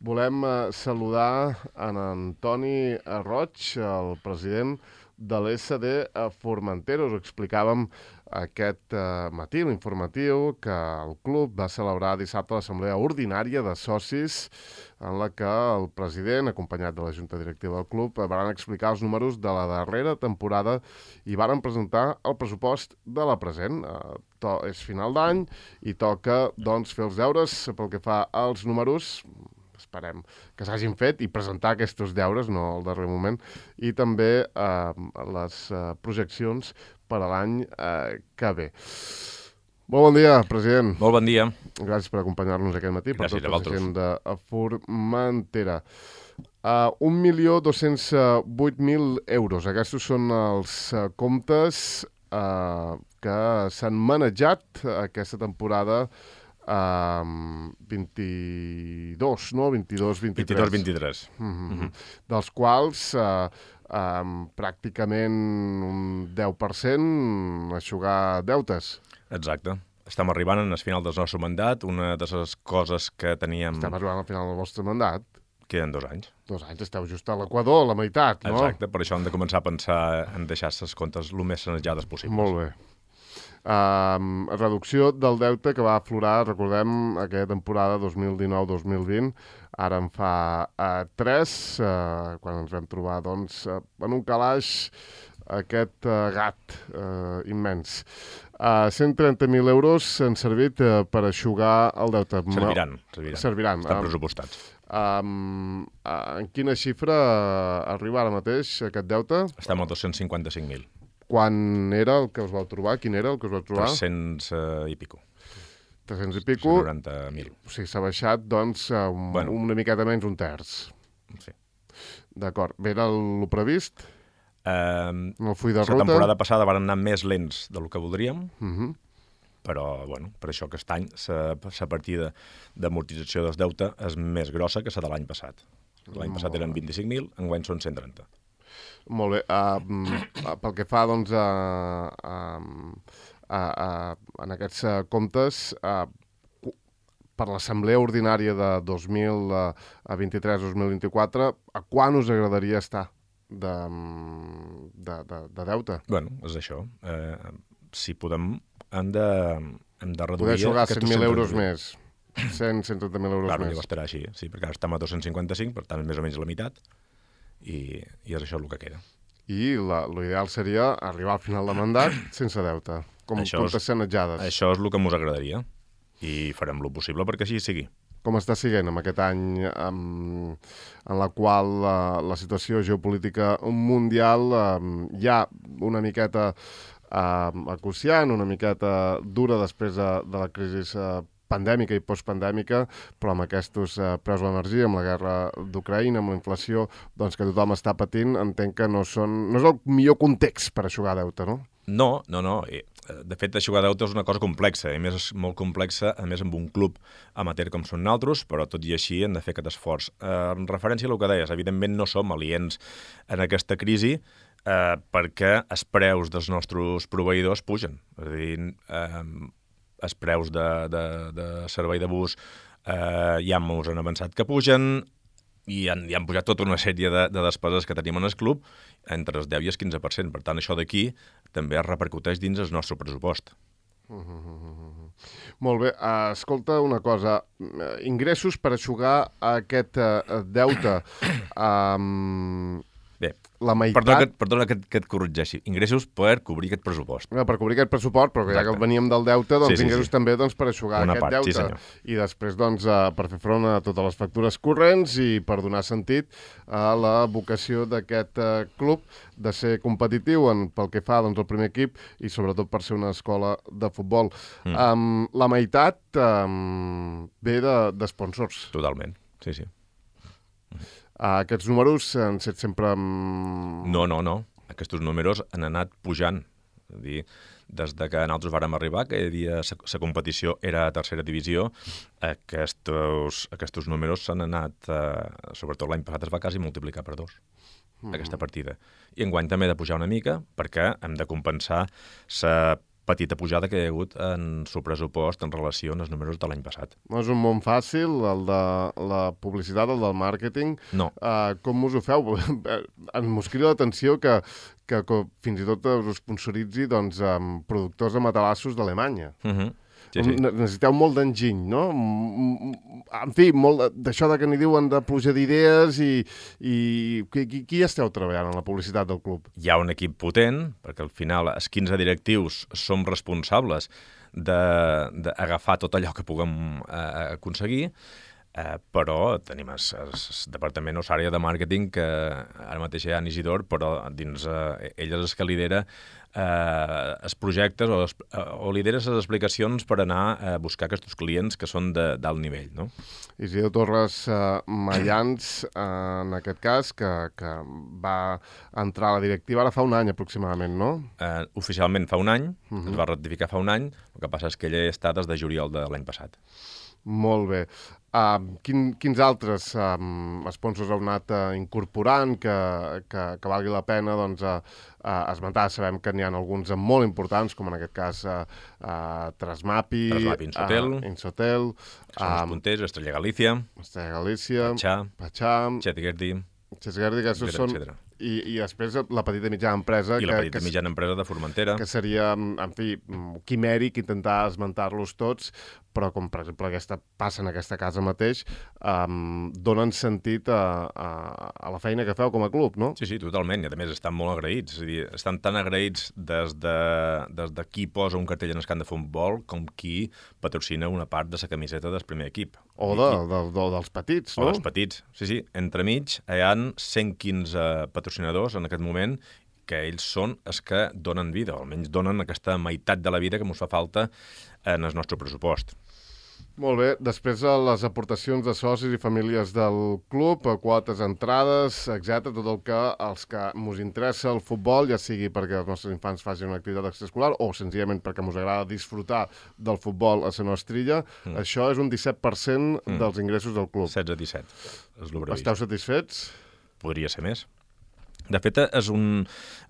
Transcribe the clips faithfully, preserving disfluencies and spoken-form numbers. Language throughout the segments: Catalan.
Volem eh, saludar en Antoni Roig, el president de l'S D Formentera. Us explicàvem aquest eh, matí, l'informatiu, que el club va celebrar dissabte l'assemblea ordinària de socis en la que el president, acompanyat de la junta directiva del club, van explicar els números de la darrera temporada i van presentar el pressupost de la present. Eh, to, és final d'any i toca doncs, fer els deures pel que fa als números. Esperem que s'hagin fet i presentar aquests deures, no al darrer moment, i també eh, les eh, projeccions per a l'any eh, que ve. Molt bon dia, president. Molt bon dia. Gràcies per acompanyar-nos aquest matí, Gràcies per tota la gent de Formentera. Uh, un milió dos-cents vuit mil euros. Aquests són els uh, comptes uh, que s'han manejat aquesta temporada Uh, vint-i-dos, no? vint-i-dos vint-i-tres. vint-i-dos vint-i-tres. Mm-hmm. Mm-hmm. Dels quals uh, um, pràcticament un deu per cent aixugar deutes. Exacte. Estem arribant al final del nostre mandat. Una de les coses que teníem... Estem arribant al final del vostre mandat. Queden dos anys. Dos anys, esteu just a l'Equador, la meitat, no? Exacte, per això hem de començar a pensar en deixar les comptes el més sanejades possibles. Molt bé. Uh, reducció del deute que va aflorar, recordem, aquella temporada dos mil dinou dos mil vint, ara en fa uh, tres, uh, quan ens vam trobar doncs, uh, en un calaix aquest uh, gat uh, immens. Uh, cent trenta mil euros han servit uh, per aixugar el deute. Serviran, serviran. Serviran. Estan pressupostats. Um, uh, en quina xifra uh, arriba ara mateix aquest deute? Estem a dos-cents cinquanta-cinc mil. Quan era el que us vau trobar? Quin era el que us vau trobar? tres-cents uh, i pico. tres-cents i pico. noranta mil. O sigui, s'ha baixat, doncs, un, bueno. una miqueta menys, un terç. Sí. D'acord. Bé, era el previst? Uh, el full de ruta? La temporada passada van anar més lents del que voldríem, uh -huh. però, bueno, per això aquest any la partida d'amortització del deute és més grossa que la de l'any passat. L'any passat eren vint-i-cinc mil, enguany són cent trenta. Molt bé. Uh, pel que fa, doncs, a, a, a, a, en aquests uh, comptes, uh, per l'assemblea ordinària de dos mil vint-i-tres dos mil vint-i-quatre, a quan us agradaria estar de, de, de, de deute? Bueno, és això. Eh, si podem, hem de, hem de reduir... Poder jugar cent mil euros més. cent, cent trenta mil euros claro, més. Claro, estarà així, sí, perquè ara estem a dos-cents cinquanta-cinc, per tant, més o menys la meitat. I, i és això el que queda. I l'ideal seria arribar al final de mandat sense deute, com comptes sanejades. Això és el que ens agradaria i farem el possible perquè així sigui. Com està siguent en aquest any en, en la qual la, la situació geopolítica mundial eh, ja una miqueta eh, acuciant, una miqueta dura després de, de la crisi eh, pandèmica i postpandèmica, però amb aquests eh, preus de l'energia, amb la guerra d'Ucraïna, amb la inflació, doncs que tothom està patint, entenc que no, són, no és el millor context per aixugar deute, no? No, no, no. De fet, aixugar deute és una cosa complexa, a més és molt complexa, a més amb un club amateur com són nosaltres, però tot i així hem de fer aquest esforç. Eh, en referència al que deies, evidentment no som aliens en aquesta crisi, eh, perquè els preus dels nostres proveïdors pugen. És a dir, eh, els preus de, de, de servei de bus eh, ja ens han avançat que pugen i han, i han pujat tota una sèrie de, de despeses que tenim en el club entre el deu i el quinze per cent. Per tant, això d'aquí també es repercuteix dins el nostre pressupost. Uh -huh. Molt bé. Uh, escolta una cosa. Uh, ingressos per aixugar aquest uh, deute. Um... Bé, la meitat... perdona, que, perdona que, que et corregeixi. Ingressos per cobrir aquest pressupost. No, per cobrir aquest pressupost, però que ja que veníem del deute, doncs sí, sí, ingressos sí. també doncs, per aixugar una aquest part, deute. Sí, I després doncs, uh, per fer front a totes les factures corrents i per donar sentit a la vocació d'aquest uh, club de ser competitiu en, pel que fa doncs, al primer equip i sobretot per ser una escola de futbol. Mm. Um, la meitat um, ve d'esponsors. De, Totalment, sí, sí. Uh, aquests números han set sempre... Um... No, no, no. Aquests números han anat pujant. És a dir, des de que nosaltres vàrem arribar, que hi havia la competició era a tercera divisió, aquests, aquests números s'han anat, eh, sobretot l'any passat es va quasi multiplicar per dos, mm. aquesta partida. I enguany també he de pujar una mica perquè hem de compensar la petita pujada que hi ha hagut en el pressupost en relació als números de l'any passat. No és un món fàcil, el de la publicitat, el del màrqueting. No. Uh, com us ho feu? Ens crida l'atenció que, que, que fins i tot us sponsoritzi doncs, amb productors de matalassos d'Alemanya. Uh -huh. Sí, sí. Necessiteu molt d'enginy, no? En fi, molt d'això de que n'hi diuen de pluja d'idees i, i qui, qui esteu treballant en la publicitat del club? Hi ha un equip potent, perquè al final els quinze directius som responsables d'agafar tot allò que puguem eh, aconseguir, eh, però tenim el departament o l'àrea de màrqueting que ara mateix hi ha en Isidor, però dins eh, ell és el que lidera eh, els projectes o, o lidera les explicacions per anar a buscar aquests clients que són d'alt nivell, no? Isidor Torres eh, Mayans, eh, en aquest cas, que, que va entrar a la directiva ara fa un any aproximadament, no? Eh, oficialment fa un any, uh -huh. es va ratificar fa un any, el que passa és que ell està des de juliol de l'any passat. Molt bé. Uh, quin, quins altres um, sponsors heu anat uh, incorporant que, que, que valgui la pena doncs, uh, uh, esmentar? Sabem que n'hi ha alguns molt importants, com en aquest cas uh, uh, Trasmapi, Trasmapi Insotel, uh, Insotel que són els punters, Estrella Galícia, Estrella Galícia, Patxà, Patxà, Chetgerdi, Chetgerdi, que aquests són... I, I després la petita i mitjana empresa... I la que, petita que, mitjana empresa de Formentera. Que seria, en fi, quimèric intentar esmentar-los tots, però com per exemple aquesta, passa en aquesta casa mateix, um, donen sentit a, a, a la feina que feu com a club, no? Sí, sí, totalment, i a més estan molt agraïts, és a dir, estan tan agraïts des de, des de qui posa un cartell en el camp de futbol com qui patrocina una part de la camiseta del primer equip. O de, de, de, dels petits, no? O dels petits, sí, sí. Entremig hi ha cent quinze patrocinadors en aquest moment que ells són els que donen vida, o almenys donen aquesta meitat de la vida que ens fa falta en el nostre pressupost. Molt bé. Després de les aportacions de socis i famílies del club, quotes, entrades, etcètera, tot el que els que ens interessa el futbol, ja sigui perquè els nostres infants facin una activitat extraescolar o senzillament perquè ens agrada disfrutar del futbol a la nostra illa, mm. això és un disset per cent mm. dels ingressos del club. setze a disset. Esteu satisfets? Podria ser més. De fet, és un,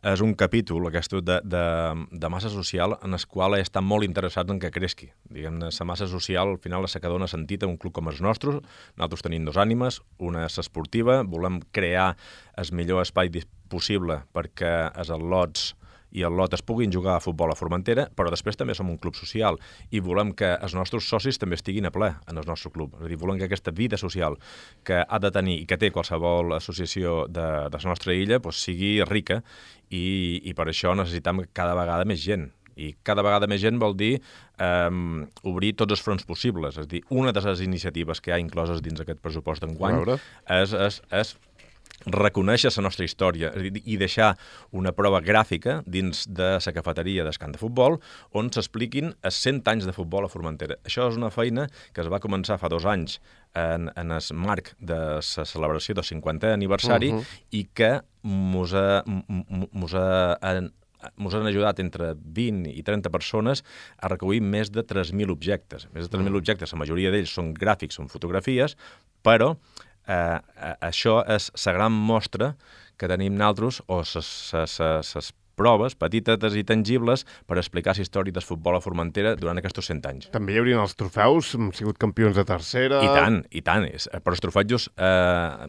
és un capítol aquest de, de, de massa social en el qual estan molt interessats en que creixi. Diguem-ne, la massa social al final és la que dona sentit a un club com els nostres. Nosaltres tenim dos ànimes, una és esportiva, volem crear el millor espai possible perquè els al·lots i el lot es puguin jugar a futbol a Formentera, però després també som un club social i volem que els nostres socis també estiguin a ple en el nostre club. És a dir, volem que aquesta vida social que ha de tenir i que té qualsevol associació de, de la nostra illa doncs, sigui rica i, i per això necessitem cada vegada més gent. I cada vegada més gent vol dir eh, obrir tots els fronts possibles. És a dir, una de les iniciatives que hi ha incloses dins aquest pressupost d'enguany és, és, és reconèixer la nostra història i deixar una prova gràfica dins de la cafeteria del camp de futbol on s'expliquin els cent anys de futbol a Formentera. Això és una feina que es va començar fa dos anys en, en el marc de la celebració del cinquantè aniversari uh -huh. i que mos ha, mos ha, ens han ajudat entre vint i trenta persones a recollir més de tres mil objectes. Més de tres mil objectes, la majoria d'ells són gràfics, són fotografies, però Uh, uh, això és la gran mostra que tenim nosaltres, o les proves petites i tangibles per explicar la història del futbol a Formentera durant aquests cent anys. També hi haurien els trofeus, hem sigut campions de tercera... I tant, i tant. Però els trofeus, eh,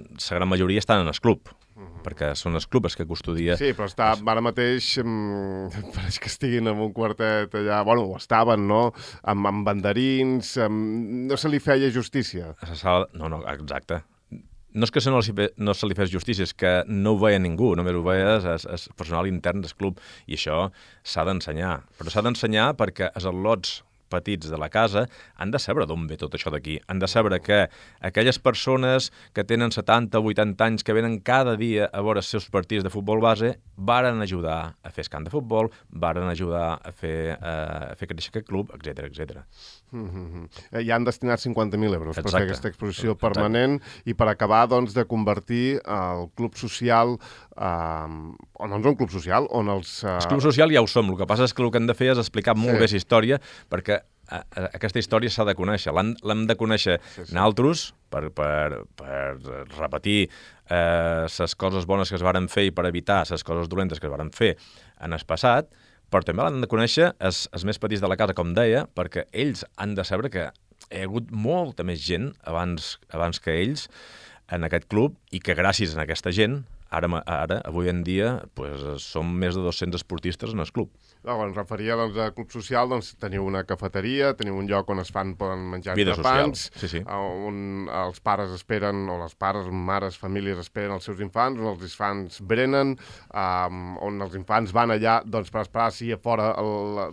la gran majoria estan en el club, uh -huh. perquè són els clubs que custodia... Sí, però està, ara mateix um, pareix que estiguin en un quartet allà... Bueno, ho estaven, no? Amb, amb banderins... Amb, no se li feia justícia. A la sala... No, no, exacte. No és que no, no se li fes justícia, és que no ho veia ningú, només ho veia el personal intern del club, i això s'ha d'ensenyar. Però s'ha d'ensenyar perquè els al·lots petits de la casa han de saber d'on ve tot això d'aquí. Han de saber que aquelles persones que tenen setanta o vuitanta anys que venen cada dia a veure els seus partits de futbol base varen ajudar a fer el camp de futbol, varen ajudar a fer, uh, a fer créixer aquest club, etcètera, etcètera. Mm-hmm. Ja han destinat cinquanta mil euros Exacte. per fer aquesta exposició Exacte. permanent i per acabar doncs, de convertir el club social eh, o no és un club social, on els... Eh... El club social ja ho som, el que passa és que el que hem de fer és explicar molt sí. bé la història, perquè a, a, aquesta història s'ha de conèixer, l'hem de conèixer sí, sí. nosaltres per, per, per repetir les eh, coses bones que es varen fer i per evitar les coses dolentes que es varen fer en el passat, però també l'han de conèixer els, els més petits de la casa, com deia, perquè ells han de saber que hi ha hagut molta més gent abans, abans que ells en aquest club i que gràcies a aquesta gent, ara, ara avui en dia, pues, som més de dos-cents esportistes en el club. No, quan em referia doncs, a club social, doncs teniu una cafeteria, teniu un lloc on es fan, poden menjar Vida entrepans, social, sí, sí. on els pares esperen, o les pares, mares, famílies esperen els seus infants, on els infants brenen, um, on els infants van allà doncs, per esperar si a fora el, la,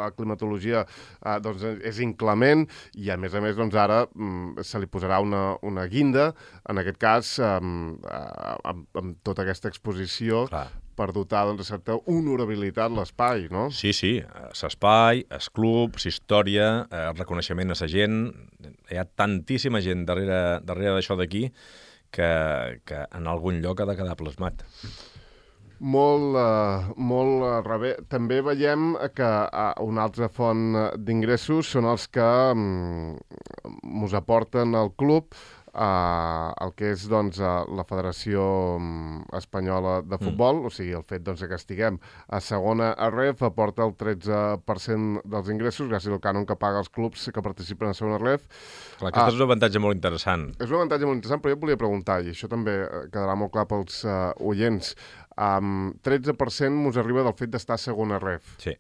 la climatologia uh, doncs, és inclement, i a més a més doncs, ara um, se li posarà una, una guinda, en aquest cas um, uh, amb, amb tota aquesta exposició, clar, per dotar doncs, de certa honorabilitat l'espai, no? Sí, sí, l'espai, el club, la història, el reconeixement a la gent, hi ha tantíssima gent darrere, darrere d'això d'aquí que, que en algun lloc ha de quedar plasmat. Molt, uh, molt uh, rebé. També veiem que uh, una altra font d'ingressos són els que um, us aporten al club, Uh, el que és doncs, uh, la Federació um, Espanyola de Futbol, mm. o sigui, el fet doncs, que estiguem a segona a R E F aporta el tretze per cent dels ingressos gràcies al cànon que paga els clubs que participen a segona R E F. Clar, aquest uh, és un avantatge molt interessant. És un avantatge molt interessant, però jo et volia preguntar, i això també quedarà molt clar pels uh, oients, um, tretze per cent us arriba del fet d'estar a segona R E F. Sí.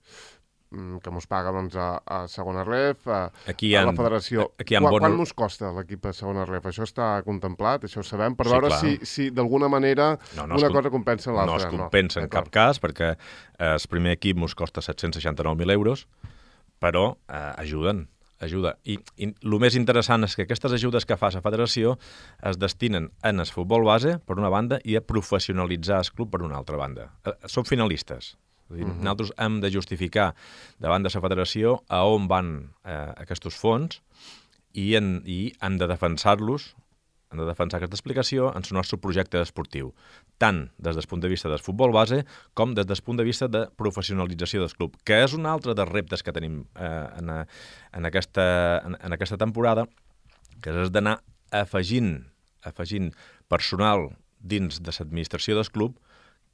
Que mos paga doncs, a, a segona R E F, a, aquí a han, la federació. Quan, bon... quan us costa l'equip a segona R E F? Això està contemplat, això ho sabem, per sí, veure clar. si, si d'alguna manera no, no una es, cosa compensa l'altra. No es compensa no, en cap cas, perquè el primer equip mos costa set-cents seixanta-nou mil euros, però eh, ajuden, ajuda. I, I el més interessant és que aquestes ajudes que fa la federació es destinen en el futbol base, per una banda, i a professionalitzar el club per una altra banda. Eh, són finalistes. És a dir, uh-huh. Nosaltres hem de justificar davant de la federació a on van eh, aquests fons i, en, i hem de defensar-los, hem de defensar aquesta explicació en el nostre projecte esportiu, tant des del punt de vista del futbol base com des del punt de vista de professionalització del club, que és un altre dels reptes que tenim eh, en, en, aquesta, en, en aquesta temporada, que és d'anar afegint, afegint personal dins de l'administració del club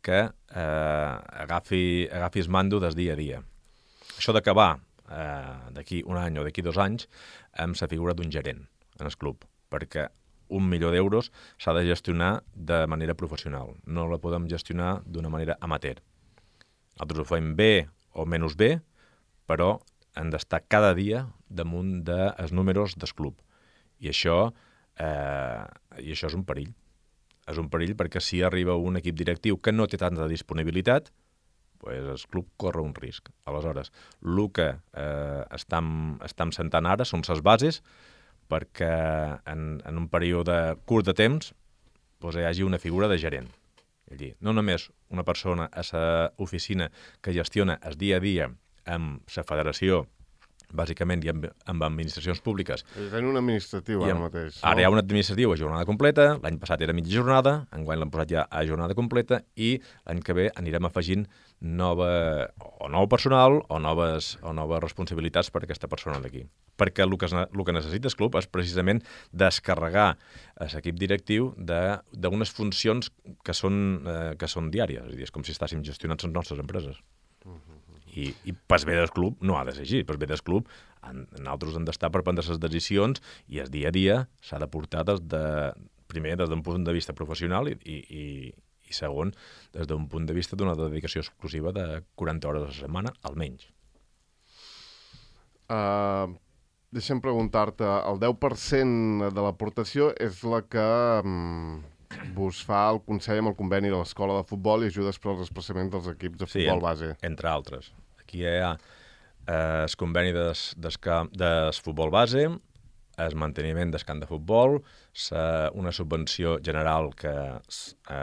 que eh, agafi, agafi el mando des dia a dia. Això d'acabar eh, d'aquí un any o d'aquí dos anys amb la figura d'un gerent en el club, perquè un milió d'euros s'ha de gestionar de manera professional. No la podem gestionar d'una manera amateur. Nosaltres ho fem bé o menys bé, però hem d'estar cada dia damunt dels números del club. I això, eh, i això és un perill. És un perill perquè si arriba un equip directiu que no té tanta disponibilitat, pues el club corre un risc. Aleshores, el que eh, estem, estem sentant ara són les bases perquè en, en un període curt de temps pues, hi hagi una figura de gerent. És a dir, no només una persona a l'oficina que gestiona el dia a dia amb la federació, bàsicament i amb, amb administracions públiques. És un administratiu ara mateix. No? Ara hi ha un administratiu a jornada completa, l'any passat era mitja jornada, enguany l'hem posat ja a jornada completa i l'any que ve anirem afegint nova, o nou personal o noves, o noves responsabilitats per a aquesta persona d'aquí. Perquè el que, el que necessita el club és precisament descarregar l'equip directiu d'unes funcions que són, eh, que són diàries. És a dir, és com si estàssim gestionant les nostres empreses. Uh-huh. I, i pas bé del club no ha de ser així. Pas bé del club, en, nosaltres hem d'estar per prendre les decisions i el dia a dia s'ha de portar des de, primer des d'un punt de vista professional i, i, i segon, des d'un punt de vista d'una dedicació exclusiva de quaranta hores a la setmana, almenys. Uh, deixa'm preguntar-te, el deu per cent de l'aportació és la que um, vos fa el Consell amb el conveni de l'Escola de Futbol i ajudes per als desplaçaments dels equips de futbol sí, base. Entre altres. Aquí hi ha eh, el conveni del des, des futbol base, el manteniment del camp de futbol, sa, una subvenció general que eh,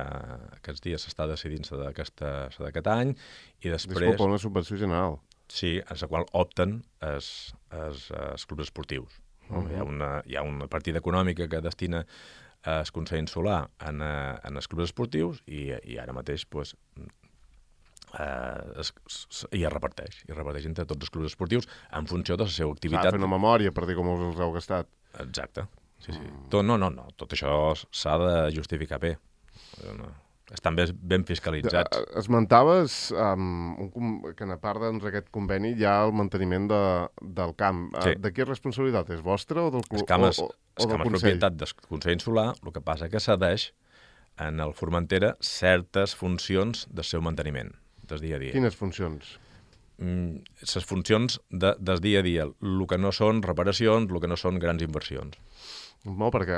aquests dies s'està decidint d'aquest any, i després... Disculpa, una subvenció general. Sí, en la qual opten els, els, els clubs esportius. No? Uh-huh. Hi ha una, hi ha una partida econòmica que destina el Consell Insular en, en els clubs esportius i, i ara mateix pues, eh, es, es, i es reparteix, i es reparteix entre tots els clubs esportius en funció de la seva activitat. S'ha de fer una memòria per dir com us els heu gastat. Exacte. Sí, sí. Mm. Tot, no, no, no. Tot això s'ha de justificar bé. No. estan ben, ben fiscalitzats. Esmentaves um, un, que a part d'aquest conveni hi ha el manteniment de, del camp. Sí. De qui és responsabilitat? És vostra o del club? El camp és, o, o, el o camp és propietat del Consell Insular, el que passa que cedeix en el Formentera certes funcions del seu manteniment, del dia a dia. Quines funcions? Les mm, funcions de, del dia a dia, el que no són reparacions, el que no són grans inversions. No, perquè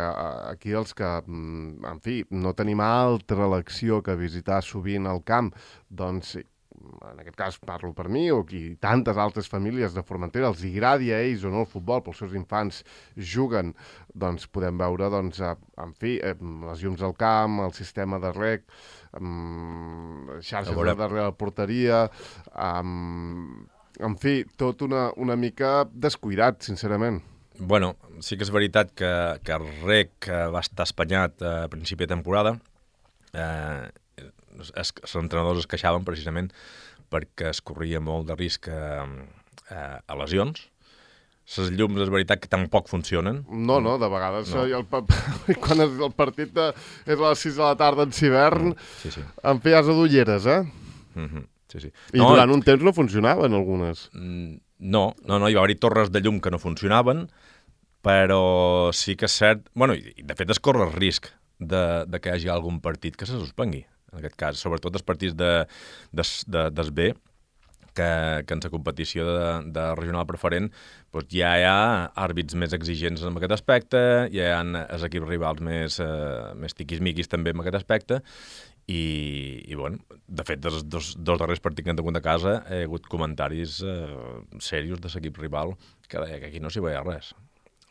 aquí els que, en fi, no tenim altra elecció que visitar sovint el camp, doncs, en aquest cas parlo per mi, o qui tantes altres famílies de Formentera, els agradi a ells o no el futbol, pels seus infants juguen, doncs podem veure, doncs, en fi, les llums al camp, el sistema de rec, xarxes de darrere la porteria, en fi, tot una, una mica descuidat, sincerament. Bueno, sí que és veritat que, que el rec va estar espanyat a principi de temporada. Eh, es, els entrenadors es queixaven precisament perquè es corria molt de risc a, a, a lesions. Les llums és veritat que tampoc funcionen. No, no, de vegades no. El, quan el partit de, és a les sis de la tarda en hivern, sí, sí. En fi, has de d'ulleres, eh? Mm-hmm. Sí, sí. I no, durant un temps no funcionaven algunes. No, no, no, hi va haver torres de llum que no funcionaven, però sí que és cert... Bueno, de fet es corre el risc de, de que hi hagi algun partit que se suspengui, en aquest cas, sobretot els partits de, de, de, des B, que, que en la competició de, de regional preferent doncs ja hi ha àrbits més exigents en aquest aspecte, ja hi ha els equips rivals més, eh, més tiquis-miquis també en aquest aspecte, i, i bueno, de fet, dels dos, dos darrers partits que han tingut a casa hi ha hagut comentaris eh, serios de l'equip rival que deia que aquí no s'hi veia res.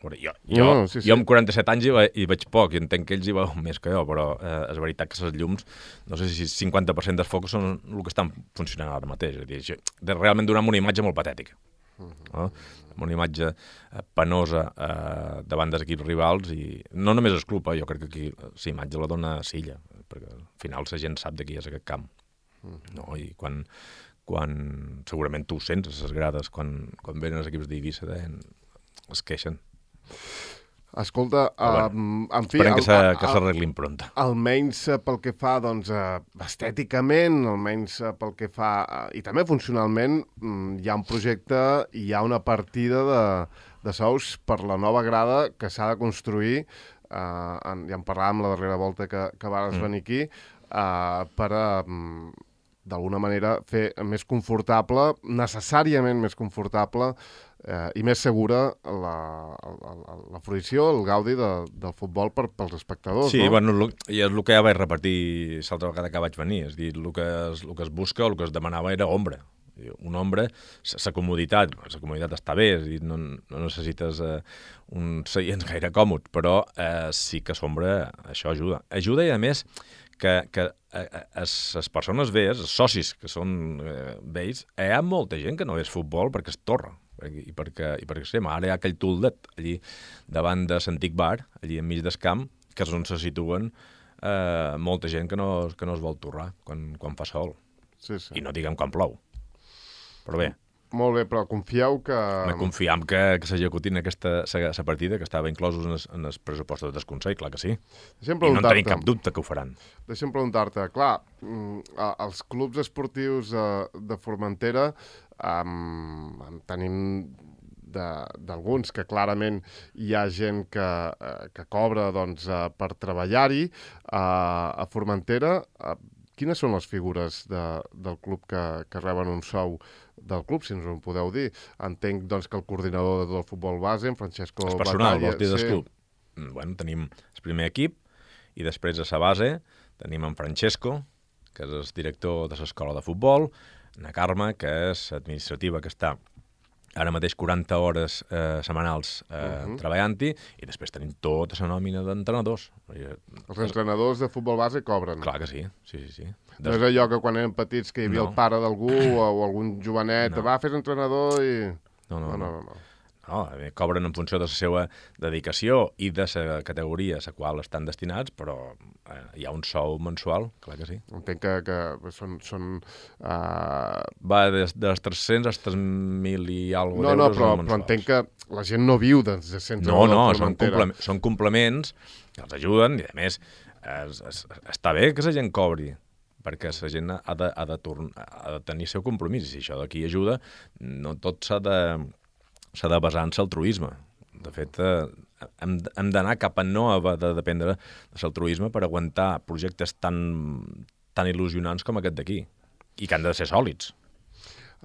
Jo, jo, no, sí, sí. jo amb quaranta-set anys hi, ve, hi veig poc i entenc que ells hi veuen més que jo, però eh, és veritat que les llums, no sé si cinquanta per cent dels focus són el que estan funcionant ara mateix. És a dir, de realment donar una imatge molt patètica. No? Una imatge eh, penosa eh, davant dels equips rivals i no només el club, eh, jo crec que aquí la imatge la dona Silla, perquè al final la gent sap de qui és aquest camp. No? I quan, quan segurament tu ho sents a les grades, quan, quan venen els equips d'Eivissa, eh, es queixen. Escolta, bueno, uh, en fi... Esperem el, que s'arreglin pronta. Almenys pel que fa, doncs, uh, estèticament, almenys uh, pel que fa... Uh, I també funcionalment, um, hi ha un projecte, hi ha una partida de, de sous per la nova grada que s'ha de construir, uh, en, ja en parlàvem la darrera volta que, que vas mm. venir aquí, uh, per a... Um, d'alguna manera, fer més confortable, necessàriament més confortable eh, i més segura la, la, la fruició, el gaudi de, del futbol per, pels espectadors. Sí, no? Bueno, i és el que ja vaig repetir l'altra vegada que vaig venir, és dir, el que es, el que es busca, el que es demanava era ombra. Un ombra, la comoditat, la comoditat està bé, és dir, no, no necessites eh, uns seients gaire còmodes, però eh, sí que l'ombra, això ajuda. Ajuda i, a més, que, que les persones velles, els socis que són eh, vells, hi ha molta gent que no és futbol perquè es torra. I perquè, i perquè sí, ara hi ha aquell tuldet allí davant de l'antic bar, allí enmig del camp, que és on se situen eh, molta gent que no, que no es vol torrar quan, quan fa sol. Sí, sí. I no diguem quan plou. Però bé. Molt bé, però confieu que... Me confiem que, que s'executin aquesta la partida, que estava inclosos en els, en els pressupostos del Consell, clar que sí. I no en tenim cap dubte que ho faran. Deixa'm preguntar-te, clar, els clubs esportius de, de Formentera um, tenim d'alguns que clarament hi ha gent que, que cobra doncs, per treballar-hi uh, a Formentera. Uh, quines són les figures de, del club que, que reben un sou del club, si ens ho podeu dir? Entenc doncs, que el coordinador del futbol base, en Francesco Batalla... El personal, vols dir del sí. club? Bueno, tenim el primer equip i després a la base tenim en Francesco, que és el director de l'escola de futbol, na Carme, que és administrativa, que està ara mateix quaranta hores eh, setmanals eh, uh-huh. treballant-hi, i després tenim tota la nòmina d'entrenadors. Els entrenadors de futbol base cobren? Clar que sí, sí, sí. sí. No és allò que quan eren petits que hi havia no. el pare d'algú o, o algun jovenet, no. va, fes entrenador i... No, no, no. no, no. no. No, cobren en funció de la seva dedicació i de la categoria a la qual estan destinats, però eh, hi ha un sou mensual, clar que sí. Entenc que, que són... són uh... Va des de tres-cents als tres mil i alguna cosa no, no, però, però entenc que la gent no viu de cent No, no, són, complement, són complements que els ajuden i, a més, es, es, està bé que la gent cobri, perquè la gent ha de, ha de, torn, ha de tenir el seu compromís, i si això d'aquí ajuda, no tot s'ha de, s'ha de basar en l'altruisme. De fet, eh, hem, hem d'anar cap a no haver de dependre de l'altruisme per aguantar projectes tan, tan il·lusionants com aquest d'aquí, i que han de ser sòlids.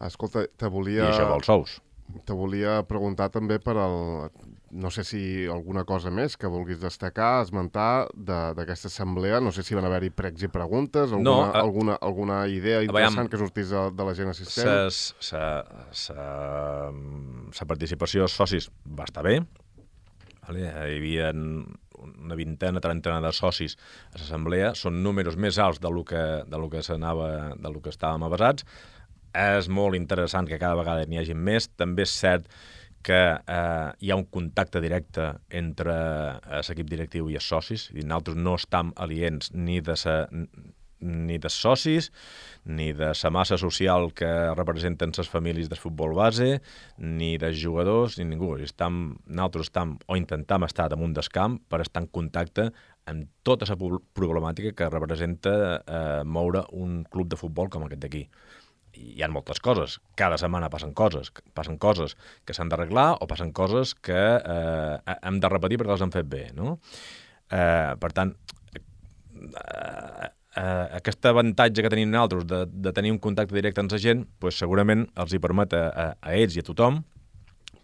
Escolta, te volia... I això vol sous. Te volia preguntar també per al... No sé si alguna cosa més que vulguis destacar, esmentar d'aquesta assemblea. No sé si van haver-hi pregs i preguntes, alguna, no, a... alguna, alguna idea interessant veiem, que sortís de, de la gent assistent. La participació dels socis va estar bé. Vale? Hi havia una vintena, trentena de socis a l'assemblea. Són números més alts del que, del que s'anava, del que estàvem avasats. És molt interessant que cada vegada n'hi hagi més. També és cert que eh, hi ha un contacte directe entre l'equip directiu i els socis. I nosaltres no estem aliens ni de sa, ni de socis, ni de la massa social que representen les famílies del futbol base, ni dels jugadors, ni ningú. Estem, nosaltres estem, o intentem estar damunt del camp per estar en contacte amb tota la problemàtica que representa eh, moure un club de futbol com aquest d'aquí. Hi ha moltes coses. Cada setmana passen coses. Passen coses que s'han d'arreglar o passen coses que eh, hem de repetir perquè les han fet bé, no? Eh, per tant, eh, eh, aquest avantatge que tenim nosaltres de, de tenir un contacte directe amb la gent, pues, segurament els hi permet a, a, a ells i a tothom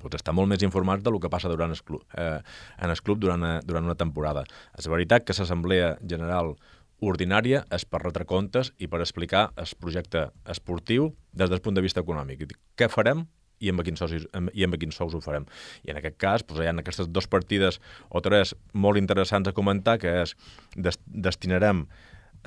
pues, estar molt més informats del que passa durant el club, eh, en el club durant, a, durant una temporada. És veritat que l'Assemblea General ordinària és per retre comptes i per explicar el projecte esportiu des del punt de vista econòmic. Què farem i amb quins sous, i amb quins sous ho farem. I en aquest cas doncs, hi ha aquestes dues partides o tres molt interessants a comentar, que és des, destinarem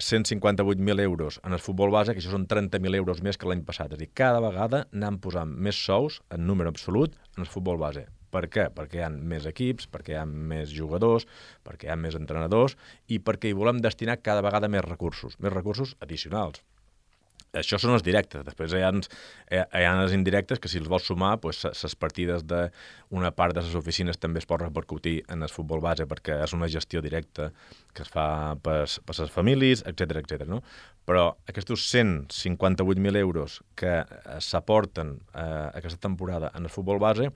cent cinquanta-vuit mil euros en el futbol base, que això són trenta mil euros més que l'any passat. És a dir, cada vegada anem posant més sous en número absolut en el futbol base. Per què? Perquè hi ha més equips, perquè hi ha més jugadors, perquè hi ha més entrenadors i perquè hi volem destinar cada vegada més recursos, més recursos addicionals. Això són els directes. Després hi ha, hi ha els indirectes que si els vols sumar, doncs, les partides d'una part de les oficines també es pot repercutir en el futbol base perquè és una gestió directa que es fa per, per les famílies, etcètera, etcètera, no? Però aquests cent cinquanta-vuit mil euros que s'aporten eh, aquesta temporada en el futbol base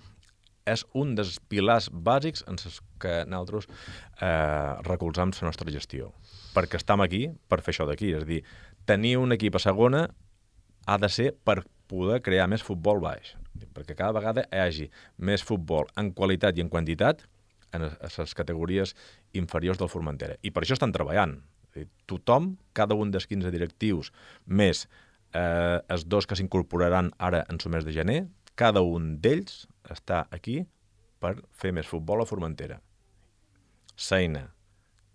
és un dels pilars bàsics en els que nosaltres eh, recolzam la nostra gestió. Perquè estem aquí per fer això d'aquí. És a dir, tenir un equip a segona ha de ser per poder crear més futbol baix. Perquè cada vegada hi hagi més futbol en qualitat i en quantitat en les categories inferiors del Formentera. I per això estan treballant. És a dir, tothom, cada un dels quinze directius, més eh, els dos que s'incorporaran ara en el mes de gener, cada un d'ells està aquí per fer més futbol a Formentera. L'eina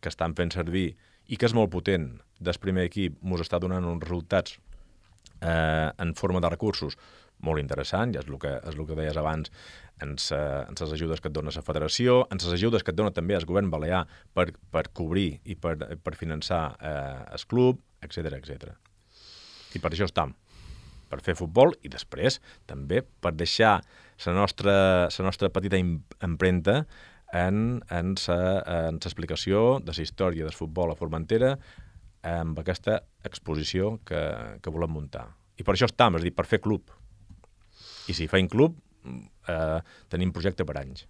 que estan fent servir i que és molt potent del primer equip ens està donant uns resultats eh, en forma de recursos molt interessant, ja és el que, és el que deies abans, en les ajudes que et dona la federació, en les ajudes que et dona també el govern balear per, per cobrir i per, per finançar eh, el club, etcètera, etcètera. I per això estem. Per fer futbol i després també per deixar la nostra, la nostra petita empremta en, en l'explicació de la història del futbol a Formentera amb aquesta exposició que, que volem muntar. I per això estem, és a dir, per fer club. I si feim club, eh, tenim projecte per anys.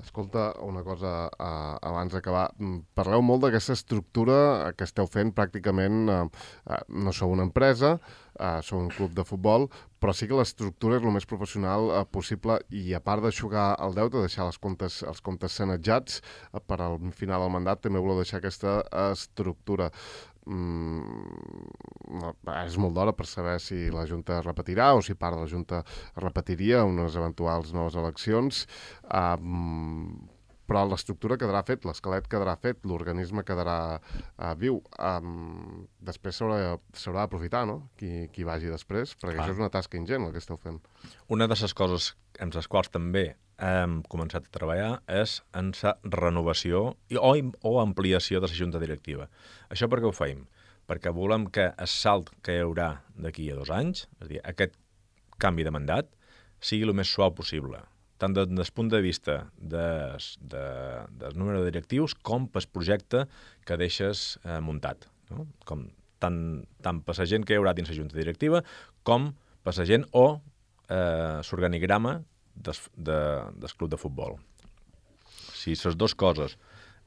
Escolta, una cosa uh, abans d'acabar. Parleu molt d'aquesta estructura que esteu fent pràcticament. Uh, uh, no sou una empresa, uh, sou un club de futbol, però sí que l'estructura és el més professional uh, possible i a part d'aixugar el deute, deixar les comptes, els comptes sanejats, uh, per al final del mandat també voleu deixar aquesta estructura. Mm, és molt d'hora per saber si la Junta repetirà o si part de la Junta repetiria unes eventuals noves eleccions, um, però l'estructura quedarà fet, l'esquelet quedarà fet, l'organisme quedarà uh, viu. Um, després s'haurà d'aprofitar, no?, qui, qui vagi després, perquè ah. això és una tasca ingent el que esteu fent. Una de les coses amb les quals també hem començat a treballar és en la renovació o, o ampliació de la junta directiva. Això per què ho feim? Perquè volem que el salt que hi haurà d'aquí a dos anys, és a dir, aquest canvi de mandat, sigui el més suau possible. tant des del punt de vista des, de, del número de directius com pel projecte que deixes eh, muntat. No? Com, tant, tant per la gent que hi haurà dins la junta directiva com per la gent o eh, l'organigrama des, de, del club de futbol. Si les dues coses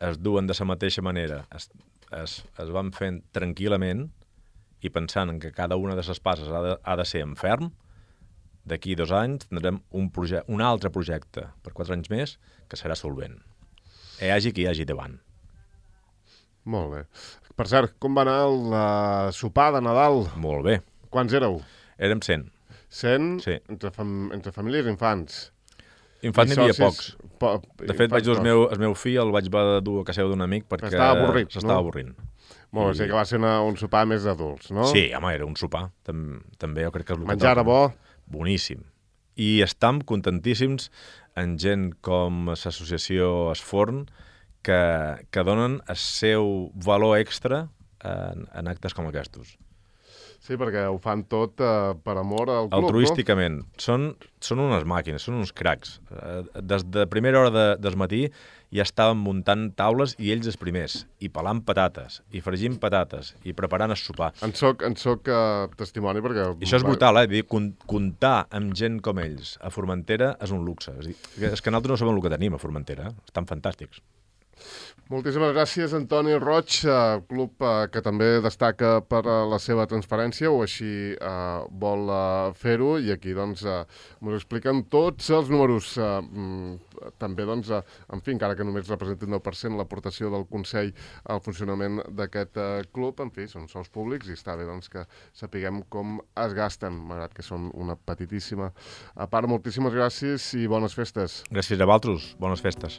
es duen de la mateixa manera, es, es, es van fent tranquil·lament i pensant en que cada una de les passes ha de, ha de ser en ferm, d'aquí dos anys tindrem un, un altre projecte per quatre anys més que serà solvent. Hi hagi qui hi hagi davant. Molt bé. Per cert, com va anar el uh, sopar de Nadal? Molt bé. Quants éreu? Érem cent. cent? Sí. Entre, fam entre famílies i infants? Infants n'hi havia pocs. Po de fet, vaig dur el meu, el meu fill, el vaig dur a casa d'un amic perquè s'estava avorrit, s'estava no? avorrint. Molt bé, I... sí que va ser una, un sopar més d'adults, no? Sí, home, era un sopar. Tam també jo crec que és el Menjar era bo? Boníssim. I estam contentíssims en gent com l'associació Esforn que, que donen el seu valor extra en, en actes com aquests. Sí, perquè ho fan tot uh, per amor al club, altruísticament. No? Són, són unes màquines, són uns cracs. Des de primera hora de, del matí ja estàvem muntant taules i ells els primers, i pelant patates, i fregint patates, i preparant el sopar. En soc, en soc uh, testimoni perquè... I això és brutal, eh? Dir, comptar amb gent com ells a Formentera és un luxe. És, dir, és que nosaltres no sabem el que tenim a Formentera. Estan fantàstics. Moltíssimes gràcies, Antoni Roig, uh, club uh, que també destaca per uh, la seva transparència, o així uh, vol uh, fer-ho, i aquí doncs uh, ens expliquen tots els números. Uh, mm, també, doncs, uh, en fi, encara que només representi un deu per cent l'aportació del Consell al funcionament d'aquest uh, club, en fi, són sous públics i està bé doncs, que sapiguem com es gasten, malgrat que són una petitíssima a part. Moltíssimes gràcies i bones festes. Gràcies a vosaltres, bones festes.